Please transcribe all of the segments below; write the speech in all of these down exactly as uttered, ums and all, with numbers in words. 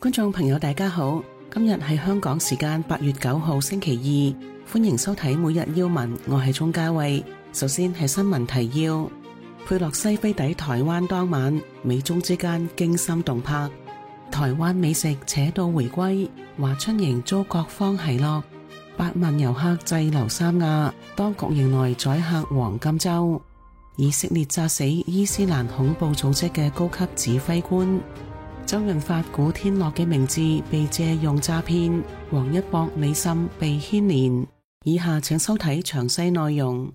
觀眾朋友大家好，今日係香港時間八月九號星期二，歡迎收睇每日要聞，我係鍾嘉慧。首先係新聞提要：佩洛西飛抵台灣當晚，美中之間驚心動魄，台灣美食扯到回歸，華春瑩遭各方奚落，八萬遊客滯留三亞，當局迎來宰客黃金週。以色列炸死伊斯蘭恐怖組織嘅高級指揮官。周潤發、古天樂嘅名字被借用詐騙，王一博、李沁被牽連。以下請收睇詳細內容。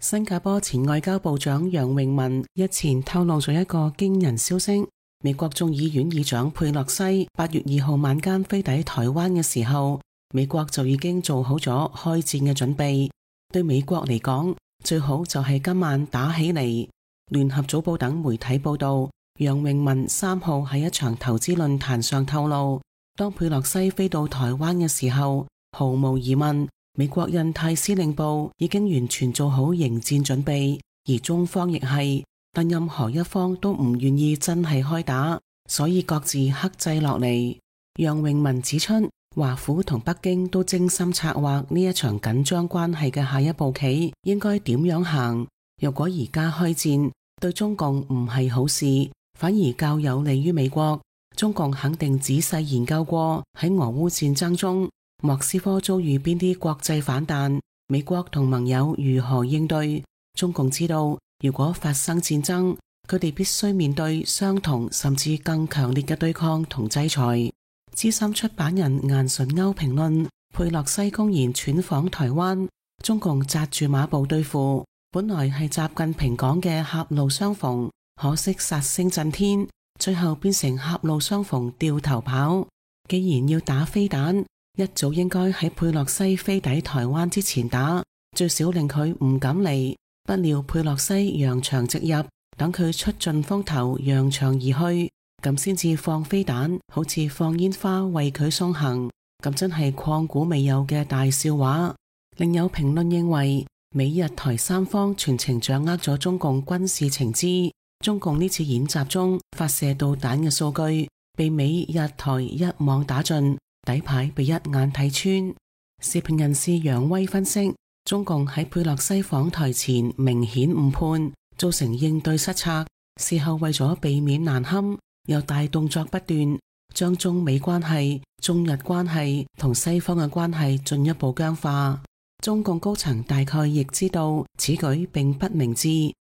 新加坡前外交部長楊永文日前透露咗一個驚人消息：美國眾議院議長佩洛西八月二號晚間飛抵台灣嘅時候，美國就已經做好咗開戰嘅準備。對美國嚟講，最好就係今晚打起嚟。聯合早報等媒體報道，楊永文三號喺一場投資論壇上透露，當佩洛西飛到台灣嘅時候，毫無疑問，美國印太司令部已經完全做好迎戰準備，而中方亦係，但任何一方都唔願意真係開打，所以各自克制落嚟。楊永文指出，華府同北京都精心策劃呢一場緊張關係嘅下一步棋應該點樣行。若果而家開戰，對中共唔係好事，反而較有利於美國。中共肯定仔細研究過喺俄烏戰爭中，莫斯科遭遇邊啲國際反彈，美國同盟友如何應對。中共知道，如果發生戰爭，佢哋必須面對相同甚至更強烈嘅對抗同制裁。資深出版人顏純鈎評論，佩洛西公然竄訪台灣，中共紮住馬步對付，本來係習近平講嘅狹路相逢，可惜殺聲震天，最後變成狹路相逢掉頭跑。既然要打飛彈，一早應該喺佩洛西飛抵台灣之前打，最少令佢唔敢嚟。不料佩洛西揚長直入，等佢出盡風頭揚長而去，咁先至放飛彈，好似放煙花為佢送行，咁真係曠古未有嘅大笑話。另有評論認為，美日台三方全程掌握咗中共軍事情資，中共呢次演習中發射導彈嘅數據被美日台一網打盡，底牌被一眼睇穿。時評人士楊威分析，中共喺佩洛西訪台前明顯誤判，造成應對失策，事後為咗避免難堪，又大動作不斷，將中美關係、中日關係同西方嘅關係進一步僵化。中共高層大概亦知道此舉並不明智，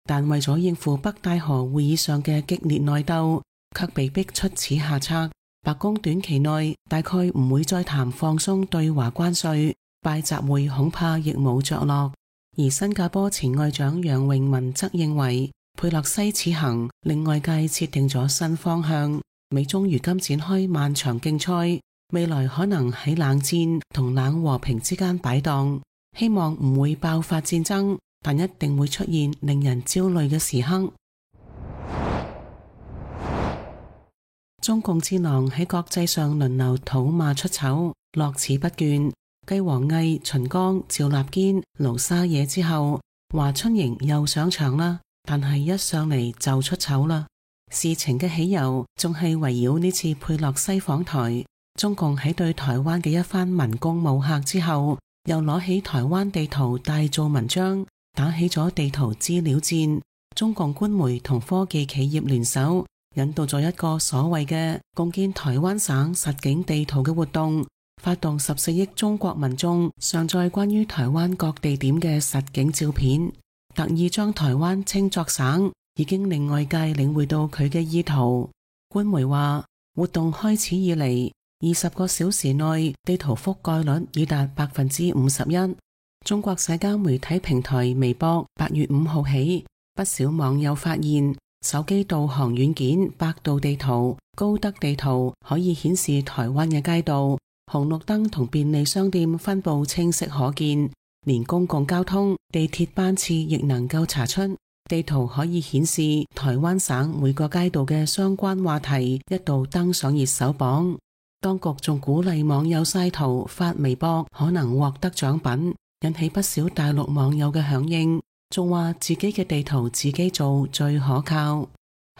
但為咗應付北戴河會議上嘅激烈內鬥，卻被逼出此下策。白宮短期內大概唔會再談放鬆對華關稅，拜習會恐怕亦冇着落。而新加坡前外長楊永文則認為，佩洛西此行令外界設定咗新方向。美中如今展開漫長競賽，未來可能喺冷戰同冷和平之間擺盪，希望唔會爆發戰爭，但一定會出現令人焦慮嘅時刻。中共戰狼喺國際上輪流討罵出醜，樂此不倦。繼王毅、秦剛、趙立堅、盧沙野之後，華春瑩又上場啦，但係一上嚟就出醜啦。事情嘅起由仲係圍繞呢次佩洛西訪台。中共喺對台灣嘅一番文攻武嚇之後，又攞起台灣地圖大做文章，打起咗地圖資料戰。中共官媒同科技企業聯手，引導咗一個所謂嘅共建台灣省實景地圖嘅活動，發動十四億中國民眾上載關於台灣各地點嘅實景照片，特意將台灣稱作省，已經令外界領會到佢嘅意圖。官媒話，活動開始以嚟，二十個小時內地圖覆蓋率已達百分之五十一。中國社交媒體平台微博八月五號起，不少網友發現手機導航軟件百度地圖、高德地圖可以顯示台灣嘅街道、紅綠燈同便利商店分布清晰可見，連公共交通、地鐵班次亦能夠查出。地圖可以顯示台灣省每個街道嘅相關話題一度登上熱搜榜。當局仲鼓勵網友曬圖發微博，可能獲得獎品，引起不少大陸網友嘅響應。仲話自己嘅地圖自己做最可靠。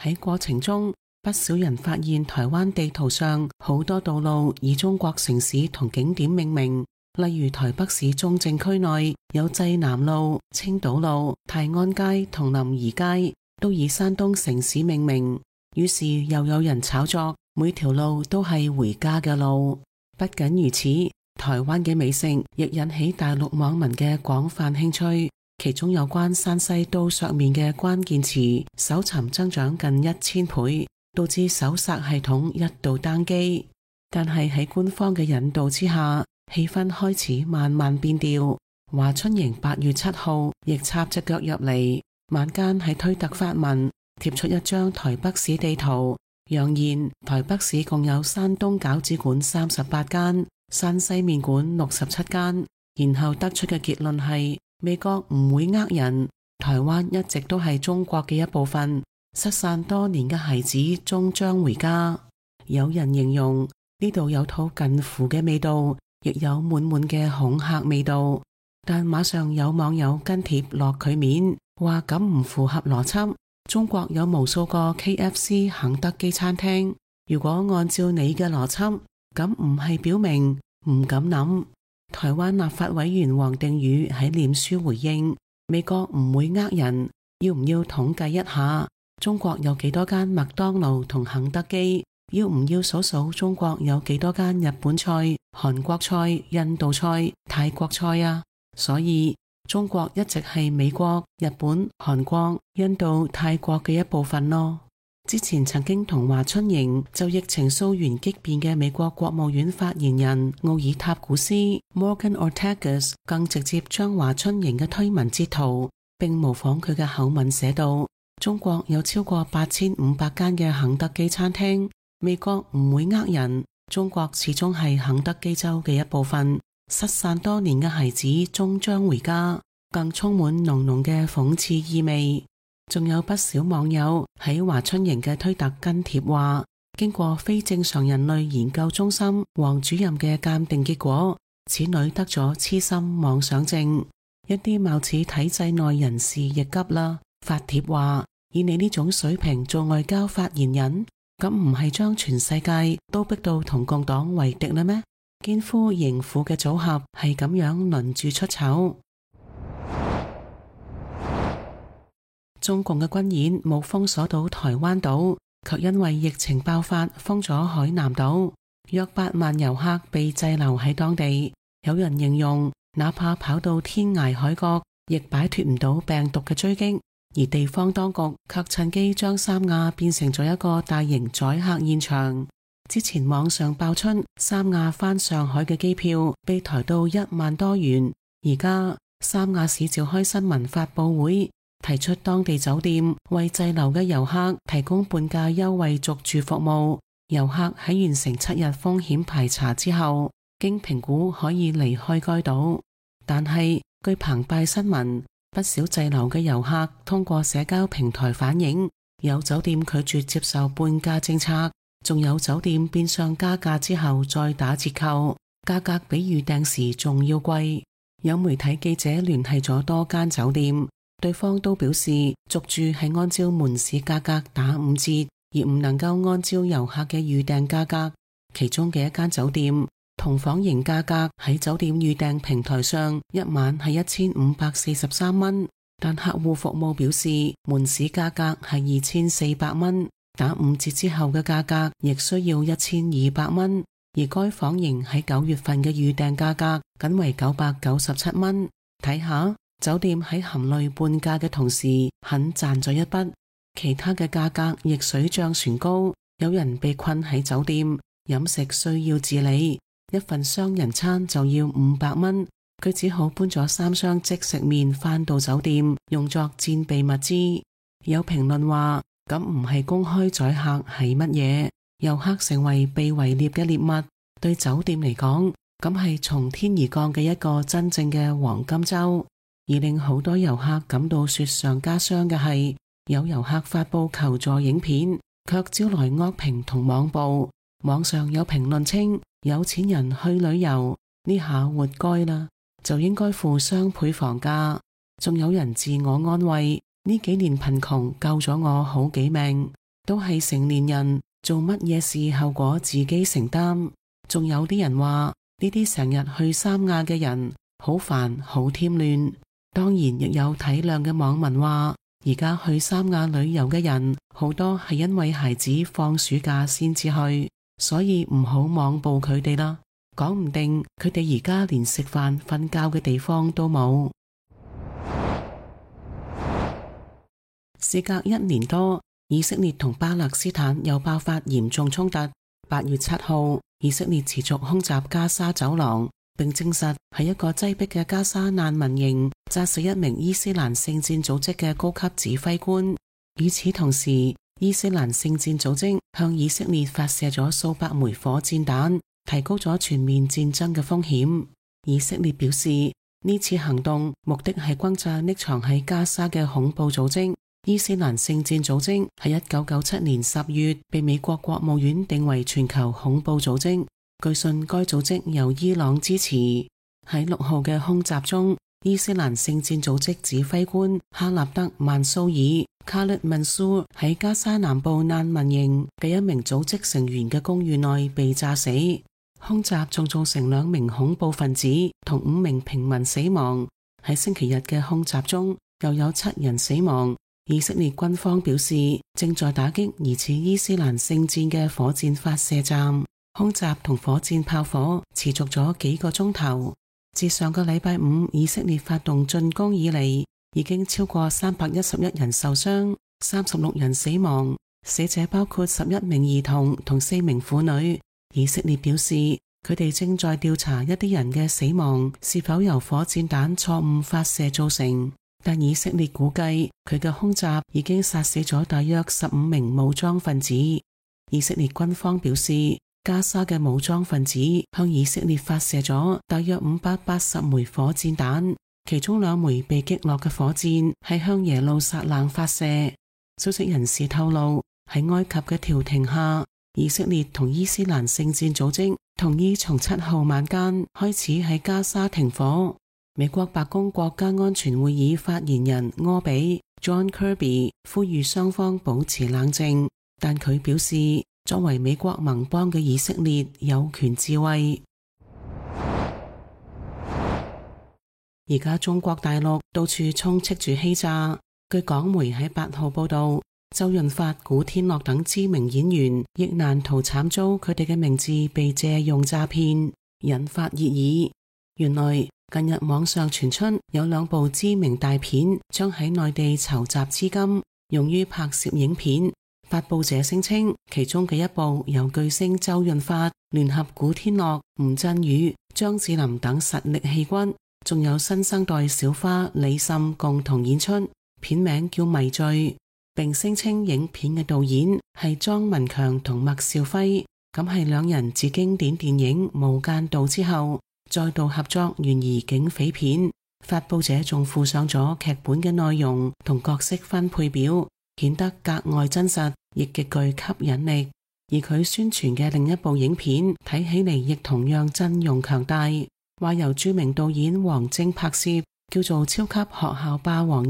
喺過程中，不少人發現台灣地圖上好多道路以中國城市同景點命名，例如台北市中正區內有濟南路、青島路、泰安街同林宜街，都以山東城市命名。於是又有人炒作每條路都係回家嘅路。不僅如此，台灣嘅美食亦引起大陸網民嘅廣泛興趣，其中有關山西刀削麵嘅關鍵詞搜尋增長近一千倍，導致搜索系統一度單機。但係喺官方嘅引導之下，氣氛開始慢慢變調。華春瑩八月七號亦插隻腳入嚟，晚間喺推特發文貼出一張台北市地圖，揚言台北市共有山東餃子館三十八間，山西麵館六十七間，然後得出嘅結論係美國唔會呃人，台灣一直都係中國嘅一部分，失散多年嘅孩子終將回家。有人形容呢度有套近乎嘅味道，亦有滿滿嘅恐嚇味道，但馬上有網友跟帖落佢面，話咁唔符合邏輯。中國有無數個 K F C 肯德基餐廳，如果按照你嘅邏輯，咁唔係表明唔敢諗。台灣立法委員王定宇喺臉書回應，美國唔會呃人，要唔要統計一下中國有幾多間麥當勞同肯德基？要唔要數數中國有幾多間日本菜、韓國菜、印度菜、泰國菜啊？所以中國一直係美國、日本、韓國、印度、泰國嘅一部分咯。之前曾經同華春瑩就疫情溯源激辯嘅美國國務院發言人奧爾塔古斯 Morgan Ortagus 更直接將華春瑩嘅推文截圖，並模仿佢嘅口吻寫道：中國有超過八千五百間嘅肯德基餐廳，美國唔會呃人，中國始終係肯德基州嘅一部分。失散多年嘅孩子終將回家，更充滿濃濃嘅諷刺意味。仲有不少網友喺華春瑩嘅推特跟帖話，經過非正常人類研究中心黃主任嘅鑑定結果，此女得咗痴心妄想症。一啲貌似體制內人士亦急啦，發帖話，以你呢種水平做外交發言人，咁唔係將全世界都逼到同共黨為敵啦咩？奸夫淫婦嘅組合係咁樣輪住出醜。中共嘅軍演冇封鎖到台灣島，卻因為疫情爆發封咗海南島，約八萬遊客被滯留喺當地。有人形容，哪怕跑到天涯海角，亦擺脫唔到病毒嘅追擊。而地方當局卻趁機將三亞變成咗一個大型宰客現場。之前網上爆出三亞返上海嘅機票被抬到一萬多元，而家三亞市召開新聞發佈會，提出當地酒店為滯留嘅遊客提供半價優惠續住服務，遊客喺完成七日風險排查之後，經評估可以離開該島。但係據澎湃新聞，不少滯留嘅遊客通過社交平台反映，有酒店拒絕接受半價政策，仲有酒店變相加價之後再打折扣，價格比預訂時仲要貴。有媒體記者聯繫咗多間酒店，對方都表示續住係按照門市價格打五折，而唔能夠按照遊客嘅預訂價格。其中嘅一間酒店同房型價格喺酒店預訂平台上一晚係一千五百四十三蚊，但客戶服務表示門市價格係二千四百蚊，打五折之後嘅價格亦需要一千二百蚊，而該房型喺九月份嘅預訂價格僅為九百九十七蚊。睇下酒店喺含淚半價嘅同時肯賺咗一筆，其他嘅價格亦水漲船高。有人被困喺酒店，飲食需要自理，一份雙人餐就要五百蚊，佢只好搬咗三箱即食麵返到酒店，用作戰備物資。有評論話，咁唔係公開宰客係乜嘢？遊客成為被圍獵嘅獵物，對酒店嚟講，咁係從天而降嘅一個真正嘅黃金周。而令好多遊客感到雪上加霜嘅係，有遊客發佈求助影片，卻招來惡評同網暴。網上有評論稱，有錢人去旅遊呢下活該啦，就應該付雙倍房價。仲有人自我安慰，呢幾年貧窮救咗我好幾命，都係成年人做乜嘢事後果自己承擔。仲有啲人話呢啲成日去三亞嘅人好煩好添亂。當然亦有體諒嘅網民話，而家去三亞旅遊嘅人好多係因為孩子放暑假先至去，所以唔好妄報佢哋啦。講唔定佢哋而家連食飯瞓覺嘅地方都冇。事隔一年多，以色列同巴勒斯坦又爆發嚴重衝突。八月七號，以色列持續空襲加沙走廊，並證實喺一個擠迫嘅加沙難民營炸死一名伊斯蘭聖戰組織嘅高級指揮官。與此同時，伊斯蘭聖戰組織向以色列發射咗數百枚火箭彈，提高咗全面戰爭嘅風險。以色列表示，呢次行動目的係轟炸匿藏喺加沙嘅恐怖組織。伊斯蘭聖戰組織喺一九九七年十月被美國國務院定為全球恐怖組織。據信該組織由伊朗支持。喺六號嘅空襲中，伊斯蘭聖戰組織指揮官哈納德曼蘇爾卡勒曼蘇喺加沙南部難民營嘅一名組織成員嘅公寓內被炸死。空襲仲造成兩名恐怖分子同五名平民死亡。喺星期日嘅空襲中，又有七人死亡。以色列軍方表示，正在打擊疑似伊斯蘭聖戰嘅火箭發射站。空襲同火箭炮火持續咗幾個鐘頭。自上個禮拜五以色列發動進攻以嚟，已經超過三百一十一人受傷，三十六人死亡，死者包括十一名兒童同四名婦女。以色列表示，佢哋正在調查一啲人嘅死亡是否由火箭彈錯誤發射造成。但以色列估計佢嘅空襲已經殺死咗大約十五名武裝分子。以色列軍方表示，加沙嘅武裝分子向以色列發射咗大約五百八十枚火箭彈，其中兩枚被擊落嘅火箭係向耶路撒冷發射。消息人士透露，喺埃及嘅調停下，以色列同伊斯蘭聖戰組織同意從七號晚間開始喺加沙停火。美國白宮國家安全會議發言人柯比 John Kirby 呼籲雙方保持冷靜，但佢表示，作為美國盟邦嘅以色列有權自衛。而家中國大陸到處充斥住欺詐。據港媒喺八號報道，周潤發、古天樂等知名演員亦難逃慘遭佢哋嘅名字被借用詐騙，引發熱議。原來近日網上傳出有兩部知名大片將喺內地籌集資金，用於拍攝影片。發佈者聲稱，其中嘅一部由巨星周潤發聯合古天樂、吳鎮宇、張智霖等實力戲骨，仲有新生代小花李沁共同演出，片名叫《迷醉》，並聲稱影片嘅導演係莊文強同麥兆輝，咁係兩人自經典電影《無間道》之後再度合作懸疑警匪片。發佈者仲附上咗劇本嘅內容同角色分配表，顯得格外真實，亦極具吸引力。而佢宣傳嘅另一部影片睇起嚟亦同樣陣容強大，話由著名導演王晶拍攝，叫做《超級學校霸王二》，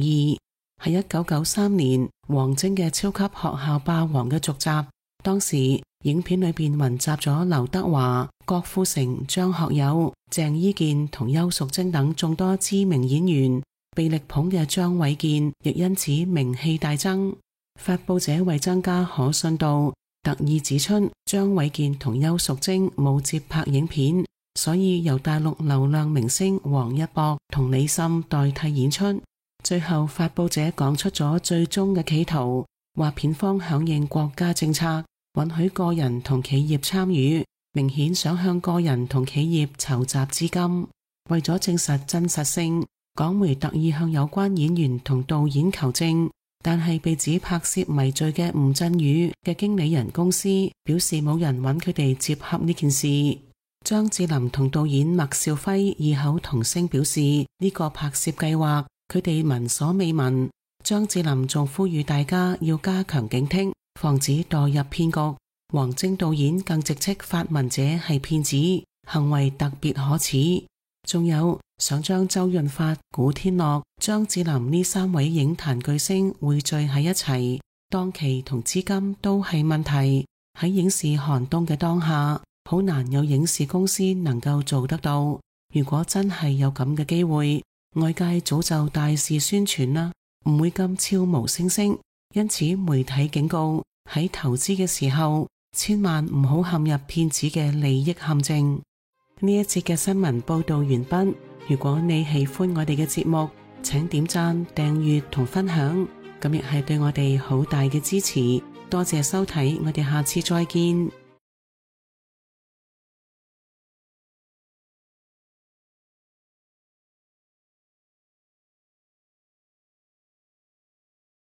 係一九九三年王晶嘅《超級學校霸王》嘅續集。當時影片裏邊雲集咗劉德華、郭富城、張學友、鄭伊健同邱淑貞等眾多知名演員，被力捧嘅張衛健亦因此名氣大增。發佈者為增加可信度，特意指出張衛健同邱淑貞冇接拍影片，所以由大陸流量明星王一博同李沁代替演出。最後發佈者講出咗最終嘅企圖，話片方響應國家政策，允許個人同企業參與，明顯想向個人同企業籌集資金。為咗證實真實性，港媒特意向有關演員同導演求證，但係被指拍攝《迷醉》嘅吳鎮宇嘅經理人公司表示冇人揾佢哋接洽呢件事。張智霖同導演麥兆輝異口同聲表示呢個拍攝計劃佢哋聞所未聞。張智霖仲呼籲大家要加強警惕，防止墮入騙局。王晶導演更直斥發文者係騙子，行為特別可恥。仲有想將周潤發、古天樂、張智霖呢三位影壇巨星匯聚喺一齊，檔期同資金都係問題，喺影視寒冬嘅當下，好難有影視公司能夠做得到。如果真係有咁嘅機會，外界早就大肆宣傳啦，唔會咁悄無聲息。因此媒體警告，喺投資嘅時候，千萬唔好陷入騙子嘅利益陷阱。呢一節嘅新聞報道完畢。如果你喜歡我哋嘅節目，請點讚、訂閱同分享，咁亦係對我哋好大嘅支持。多謝收睇，我哋下次再見。